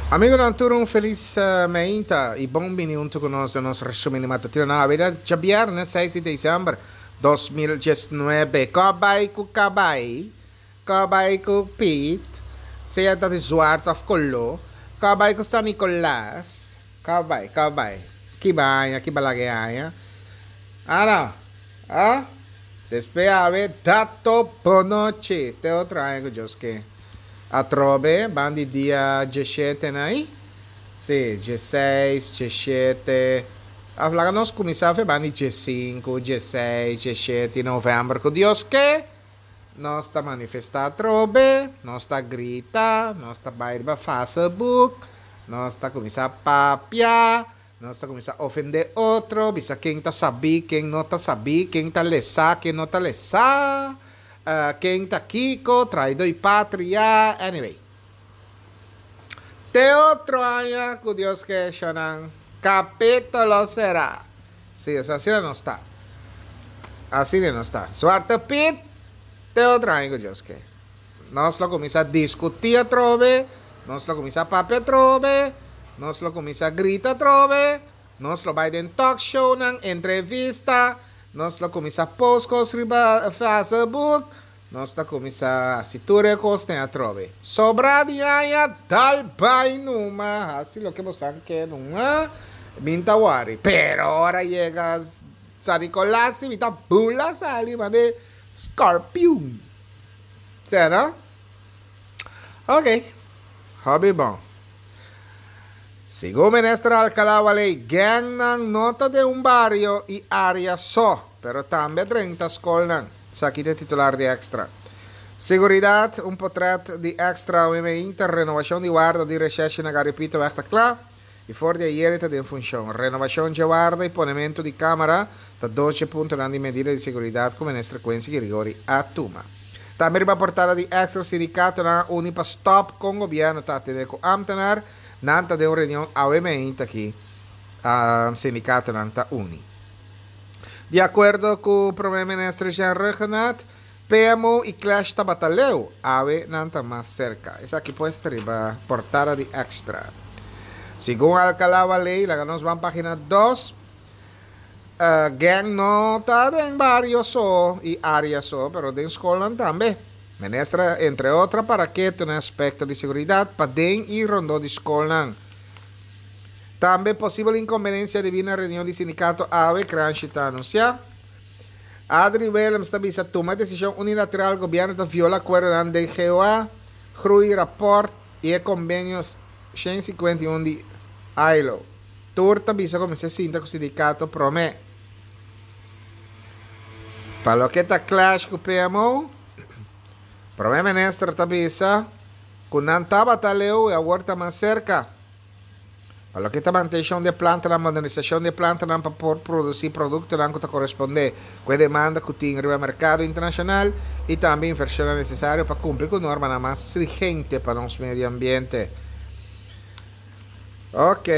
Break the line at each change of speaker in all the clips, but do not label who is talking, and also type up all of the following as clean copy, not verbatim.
Amigonan tur un felis meinta y bon bini hunto cu nos den nos resumen di matutino na awe djabierne seis di december 2019. Ko bay cu cabay, ko bay cu Piet, sea ta di zwart of colo, ko bay cu San Nicolas, ko bay, ko bay, ki baña, ki balaga e aña, ah no, ah, despues awe dato bonochi te otro aña cu Dios ke. Atrobe, ban di dia djeshete na i? Sí, djeseis, djeshete. Af laga nos kuminsá fe ban di djesinku, djeseis, djeshete di novèmber ku Dios ke, nos ta manifestá atrobe, nos ta grita, nos ta bai riba Facebook, nos ta kuminsá papia, nos ta kuminsá ofendé otro, bisa ken ta sabí, ken no ta sabí, ken ta lesá, ken no ta lesá, ken ta kiko, traidó i patria, anyway. Te otro aña ku Dios ke eshonan kapitulo sera. Si, es asina nos ta. Asina nos ta. Zwarte Piet, te otro aña ku Dios ke. Nos lo kuminsá diskutí atrobe, nos lo kuminsá papia atrobe, nos lo kuminsá grita atrobe, nos lo bai den talkshownan, entrevista, nos lo kuminsá post kos riba Facebook, Nos ta kuminsá hasi tur e kosnan atrobe. Sobrá di aña, dal bai numa, hasi loke bosan ke numa, mi ta wòri. Pero ora yega San Nicolas si mi ta bula sali mane scorpion. Sea no? Ok, hopi bon. Segun Minister Alcalá Waley, gangnan no ta den un bario i área so, pero tambe a drenta skolnan. Esaki ta e titular di Extra. Seguridat, un potret di Extra OMI Inter, Renovacion di warda di Recherche na Garipitoweg ta kla i for di ayer e ta den funcion. Renovacion dje warda i ponementu di camera ta dos dje puntonan di medida di seguridat ku Minister Quincy Girigorie a tuma. Tambe riba portada di Extra sindikatonan a uni pa stop kon gobierno ta atende ku ambtenar. Nan ta den un reunion awe meinta aki sindikatonan ta uni. Di akuerdo ku Prome Minister Jean Rhuggenaath, PMO i Clash tabata leu, awe nan ta mas serka. Esaki pues ta riba portada di Extra. Segun Alcalá Waley, laga nos ban pagina dos, gang no ta den bario so i area so, pero den skolnan tambe. Minister a entre otro para ketu na aspekto di seguridat paden i rondó di skolnan. Tambe posibel inkombenensia debí na reunion di sindikato awe, Kranshi ta anunsiá. Adri Willems ta bisa tuma desishon unilateral gobièrnu ta viola akuerdonan den GOA, Groeirapport i e kombenio 151 di ILO. Tur ta bisa ku mester sinta ku sindikato promé. Pa loke ta clash ku PMO, Prome Minister ta bisa ku nan tabata leu i awor ta mas serka. Pa loke ta mantenshon di e plantanan, modernisashon di e plantanan pa por produsí produktonan ku ta korespondé ku e demanda ku tin riba merkado internashonal i tambe invershonnan nesesario pa kumpli ku normanan mas strigente pa nos medio ambiente. Ok.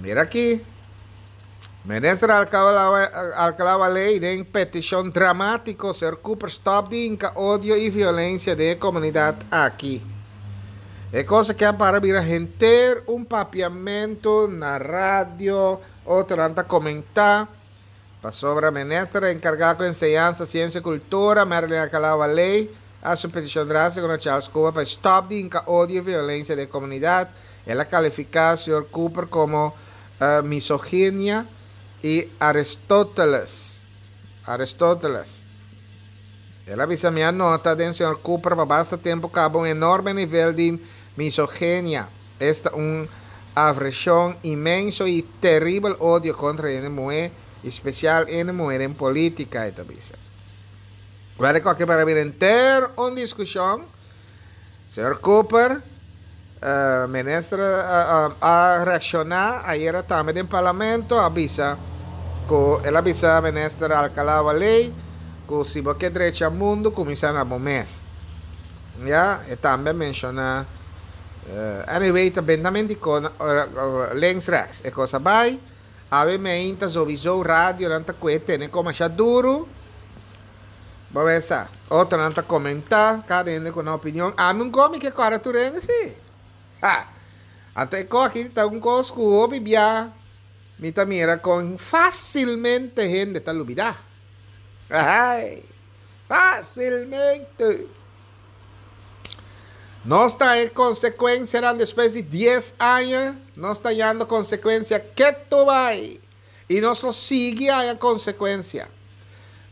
Mira aki. Minister Alcalá Waley den petishon dramátiko, Señor Cooper stòp di hinka odio i violensia den e komunidat aki. E kos aki a para bira henter un papiamentu na radio, otronan ta komentá, pasobra minister enkargá ku enseñansa, siensia i kultura, Marilyn Alcalá Waley, a hasi un petishon drástiko na Charles Cooper pa e stòp di hinka odio i violensia den e komunidat. El a kalifiká señor Cooper komo misoginia i Aristóteles. Aristóteles. El a bisa, Mi a nota den señor Cooper pa basta tempu kaba un enorme nivel di misogenia, esta un avreshon inmenso i teribel odio kontra hende muhé, i spesial hende muhé den polítika, e ta bisa. Wèl, e koke para bira henter un diskushon. Señor Cooper, minister a reacciona ayera tambe den parlamento a bisa cu el a bisa minister Alcalá Waley cu si bo ke drecha mundo cuminsa na bo mes. Ya, e tambe a menciona anyway ta bentamente di links rechts e cos a bay. Awe meinta sowieso radionan ta cu e tene con masha duro. Bo mesa. Otronan ta komentá, kada hende ku nan opinion. Ami un komi ke kòrda tur hende, sí. Ha! Anto e kos aki ta un kos ku hopi bia mi ta mira kon fásilmente hende ta lubidá. Ahai! Fásilmente! Nos ta e konsekuensianan despues di dies aña, nos ta hañando konsekuensia ketu bai. I nos lo sigui haña konsekuensia.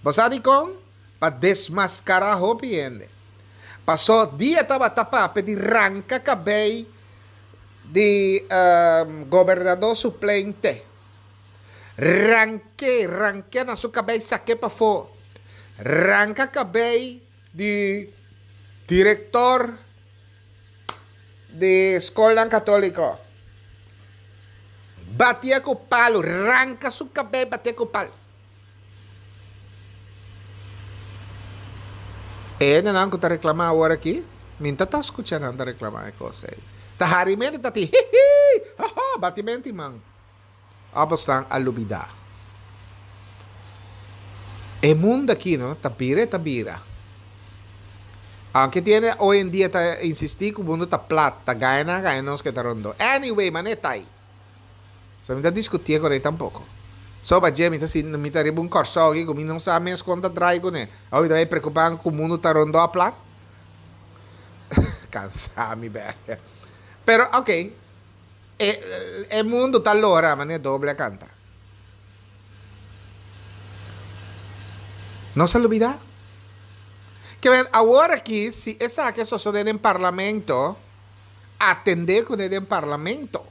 Bo sa dikon? Pa desmaskará hopi hende. Pasó dia tabata papia di ranka kabei di gobernadó suplente. Rank'é, rank'é na su kabei sak'é pafó. Ranka kabei di direktor di skolnan katóliko. Batié ku palu, ranka su kabei batié ku palu. E hendenan ku ta reklamá awor aki, mi ta ta skucha nan ta reklamá e kos ei. Ta harimentu ta tin hihi, hoho, batimentu i man. Òf esnan a lubidá. E mundu aki no, ta bira e ta bira. Aunke tin hende hoy en dia ta insistí ku mundu ta plat, ta gana nan a gana nos ke ta rondó. Anyway, manera ta ei. So mi ta diskutié ku rei tampoko. So pa dje mi ta sinti mi ta riba un kòrsou aki ku mi no sa mes kon ta drai kuné. Awor mi ta bai preokupá ku mundu ta rondó a plat? Kansá mi bèrdè. Pero ok, e e mundu ta lora manera doble a kanta. Nos a lubidá? Ke men awor aki si esaki a sosodé den parlamento, atendé kuné den parlamento.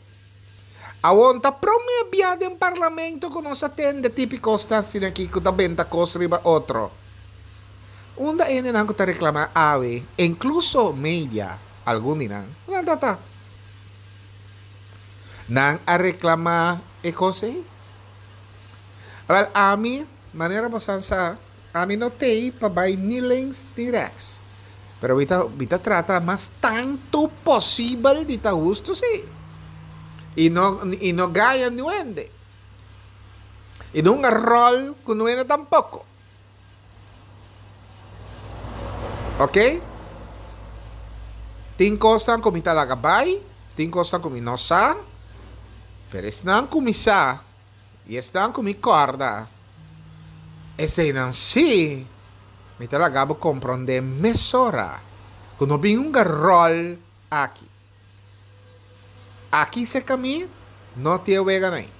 Awor ta promé bia den parlamento ku nos a tende tipi kosnan asina aki ku ta benta kos riba otro. Unda e hendenan ku ta reklamá awe, inkluso media, algun di nan, nan ta ta? Nan a reklamá e kos ei? Awèl, ami, manera bosan sa, Ami no tei pa bai ni links ni rechts. Pero mi ta mi ta trata mas tantu posibel di ta hustu si. I no i no gaya niun hende. I no hunga ròl ku niun hende tampoko. Ok? Tin kosnan ku mi ta laga bai, tin kosnan ku mi no sa, pero esnan ku mi sa. I esnan ku mi kòrda eseinan sí, mi ta laga bo komprondé mesora ku no bin hunga ròl aki. Aki serka mi no tin e weganan ei.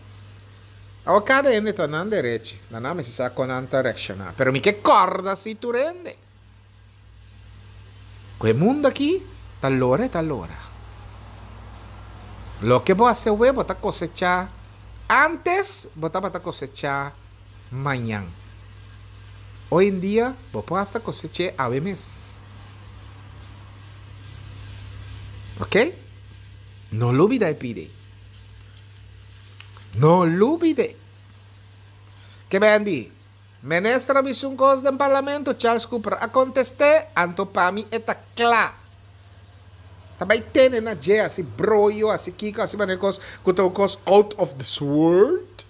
Awor kada hende ta nan derechi, na nan mester sa kon nan ta reakshoná, pero mi ke kòrda sí tur hende. Ku e mundu aki ta lora e ta lora. Loke bo hasi awe bo ta kosechá antes bo tabata kosechá mañan. Hoy en dia bo por hasta kosech'é awe mes. Ok? No lubida e pidi. No lubid'é. Ke bendi? Minister a bisa un kos den parlamento, Charles Cooper a kontest'é, anto pa mi e ta kla. Ta bai tene na dje, hasi broyo, hasi kiko, hasi manera kos ku ta un kos out of this world.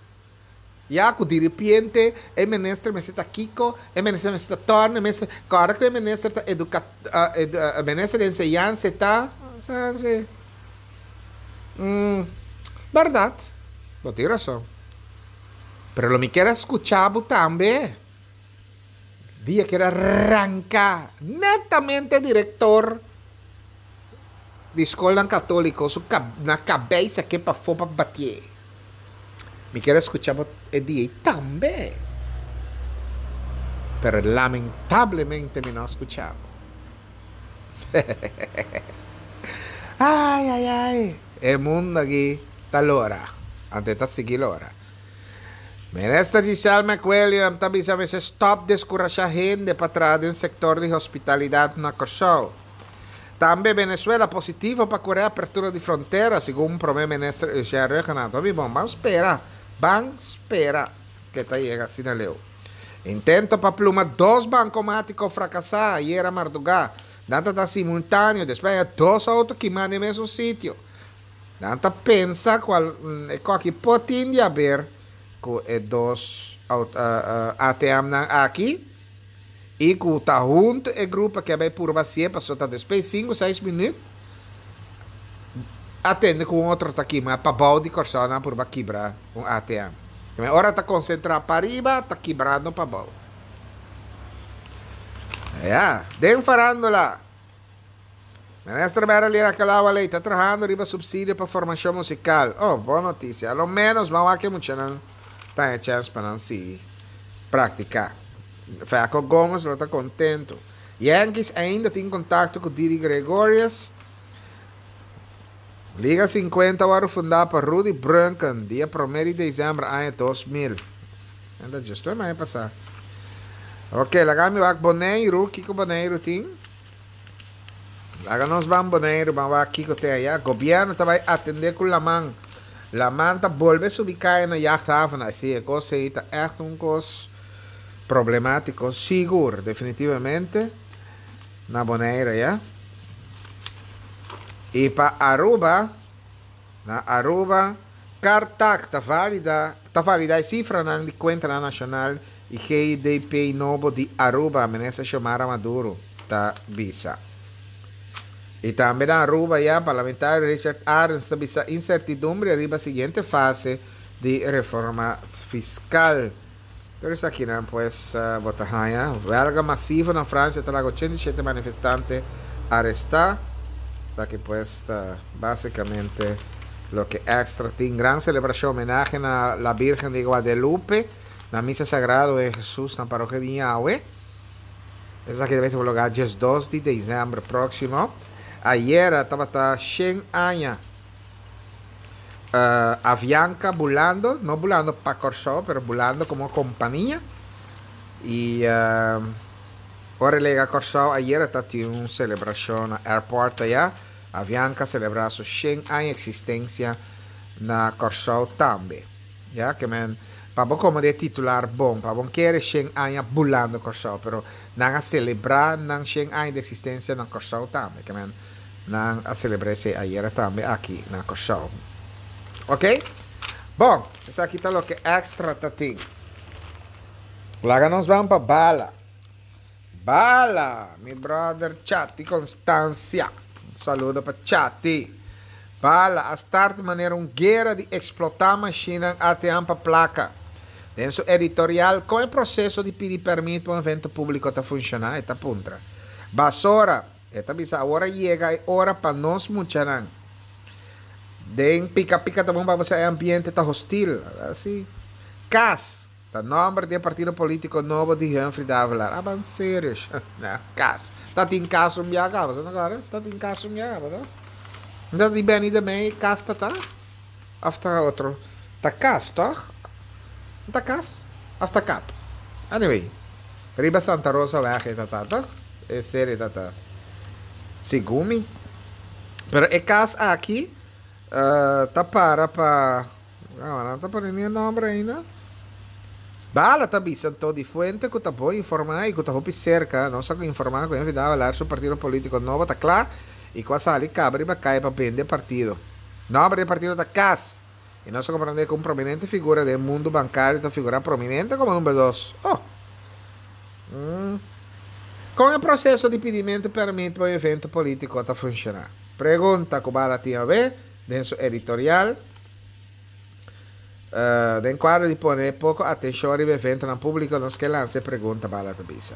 Ya ku diripiente e minister mester ta kiko, e minister mester ta tòrn, e minister, kòrda ku e minister ta eduka, minister di enseñansa e ta, sa si. Bèrdat, bo tin rason. Pero lo mi kier a skucha bo tambe. Dia kier a ranka netamente direktor di skolnan katoliko su na kabei sake pafó pa batié. Mi kier a skucha bo e dia ei tambe. Pero lamentablemente mi no a skucha bo. Ai ai ai e mundo aki ta lora anto e ta sigui lora. Minister Giselle McWilliam ta bisa mester stop deskurashá hende pa traha den sektor di hospitalidat na Kòrsou. Tambe Venezuela positivo pa ku reapertura di frontera, segun Prome Minister Eugène Rhuggenaath. Hopi bon, ban spera, ban spera ke ta yega asina leu. Intento pa pluma dos bankomátiko frakasá ayera mardugá. Nan ta ta simultáneo, despues haña dos outo kimá den mesun sitio. Nan ta pensa ku e koki por tin di haber ku e dos ATMnan aki i ku ta huntu e grupo ke a bai purba hasié pasobra ta despues sinku seis minüt. A tende ku un otro ta kima pabou di Kòrsou nan a purba kibra un ATM. Keme ora ta konsentrá pariba ta kibrando pabou. Ya, den farándula. Minister Marilyn Alcalá Wallé ta trahando riba supsidio pa formashon musikal. Oh, bon notisia. A lo ménos ban wak e muchanan ta haña chèns pa nan sigui praktiká. Feco Gomez lo ta kontentu. Yankees ainda tin kontakto ku Didi Gregorius. Liga 50 wòrdu fundá pa Rudy Brunken dia promé di desèmber aña 2000. Enta djis tur aña pasá. Ok, laga mi wak Boneiru. Kiko Boneiru tin? Laga nos ban Boneiru, ban wak kiko te aya. Gobièrnu ta bai atendé ku laman. Laman ta bolbe subi kaya na jachthaven. Ai si, e kos ei ta ègt un kos problemátiko, sigur, definitivamente, na Bonaire aya. I pa Aruba, na Aruba, Cartac ta valida, ta valida e sifranan di kuentanan nashonal i GDP nobo di Aruba, Minister Xiomara Maduro ta bisa. I tambe na Aruba ya, Parlamentario Richard Arends ta bisa insertidumbre riba siguiente fase di reforma fiskal. Tur esakinan pues bo ta haña. Welga masivo na Francia ta laga 87 manifestante arestá. Esaki pues ta básicamente loke Extra tin. Gran celebracion homenahe na La Virgen de Guadelupe na Misa Sagrado de Jesus na Parokia di Ñawe. Esaki ta bay tuma lugar 12 di december próximo. Ayera tabata 100 aña Avianca bulando, no bulando pa Kòrsou, pero bulando komo kompania. I ora e lega Kòrsou ayera ta tin un selebrashon na airport aya. Avianca selebrá su shen aña eksistensia na Kòrsou tambe. Ya ke men pa bo komo di e titular bon, pa bo kere shen aña bulando Kòrsou, pero nan a selebrá nan shen aña di eksistensia na Kòrsou tambe. Ke men Nan a celebra esey ayera tambe aki na Corsou. Ok? Bon, esaki ta loke extra ta tin. Laga nos ban pa Bala. Bala! Mi brother Chati Constancia. Un saludo pa Chati. Bala a start manera un guera di explota mashinnan ATM pa placa. Den su editorial, con e proceso di pidi permit pa un evento publico ta funciona? E ta puntra. Basora! E ta bisa awor a yega e ora pa nos muchanan. Den pika pika ta bon pa bo sa e ambiente ta hostil. Asi. Cas ta nomber di e partido politico nobo di Humphrey Davelaar. A ban serio sha. Cas. Ta tin cas un bia caba. Sa no kore? Ta tin cas un bia caba to? Ta di Benny de Mey cas ta ta? Of ta otro? Ta cas toch? Ta cas? Of ta kap? Anyway. Riba Santa Rosa weg e ta ta toch? E serie ta ta segun mi. Pero e cas aki ta para pa no nan ta pone ni e nomber ainda. Bala ta bisa anto di fuente cu ta bon informa y cu ta hopi cerca nos a informa cu Henry Davelaar su partido politico nobo ta cla y cu a sali caba riba caya pa bende e partido. Nomber di e partido ta cas. Y nos a comprende cu un prominente figura den mundo bancario ta figura prominente como number dos. Oh! Mm. Con e proceso di pidimento permit pa un evento politico ta funciona? Pregunta cu Bala tin awe den su editorial. Uh, den cuadro di pone poco atencion riba eventonan publico nos ke lansa e pregunta, Bala ta bisa.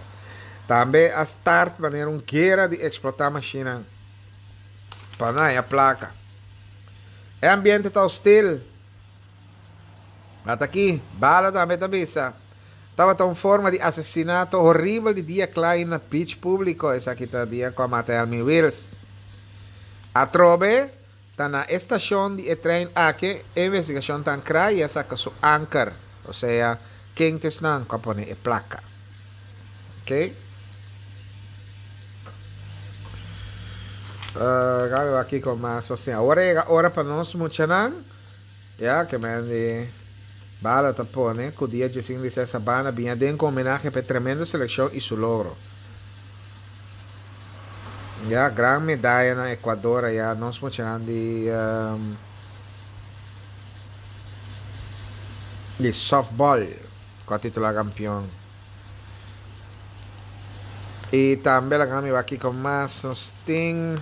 Tambe a start manera un guera di explota mashinan pa no haya placa. E ambiente ta hostil. Ata aki, Bala tambe ta bisa. Tabata un forma di asesinato horibel di dia kla na beach publico, esaki ta dia cu a mata Elmi Wiels. Atrobe, ta na e stacion di e trein aki e investigacion ta ancra y a saca su anker, osea, ken ta esnan cu a pone e placa. Ok. Gabi wak kiko mas nos tin. Awor a yega ora pa nos muchanan. Ya, ke men di Bala ta pone ku dia djesing di ses Sabana bin aden ku homenahe pa e tremendo selekshon i su logro. Ya, gran medaya na Ecuador aya nos muchanan di di softball ku a titula kampion. I tambe laga mi wak kiko mas nos tin.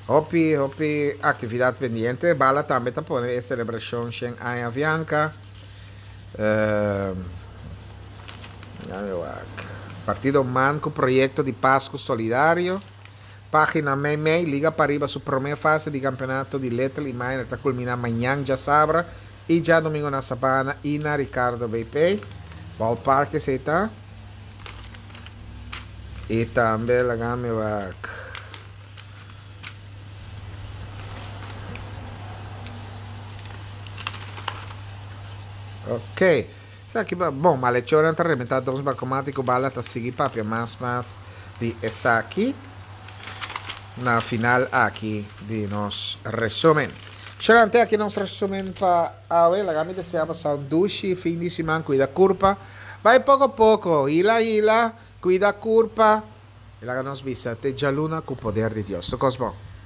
Hopi hopi actividad pendiente. Bala tambe ta pone e celebracion shen aña Avianca. Partido man cu proyecto di Pascu Solidario. Pagina mei mei, Liga Pariba su prome fase di campeonato di Little y Minor ta culmina mañan djasabra y djadomingo na Sabana y na Ricardo BP. Ballpark esey ta. Y tambe laga mi wak. Ok. Esaki ba, bon, malhechornan ta rementa dos bancomat y cu bala ta sigui papia mas mas di esaki na final aki di nos resumen. Sherante aki nos resumen pa awe. Laga mi desea boso un dushi fin di siman. Cuida curpa. Bai poco poco. Hila hila. Cuida curpa. Y laga nos bisa te djaluna cu poder di Dios. Tur cos bon.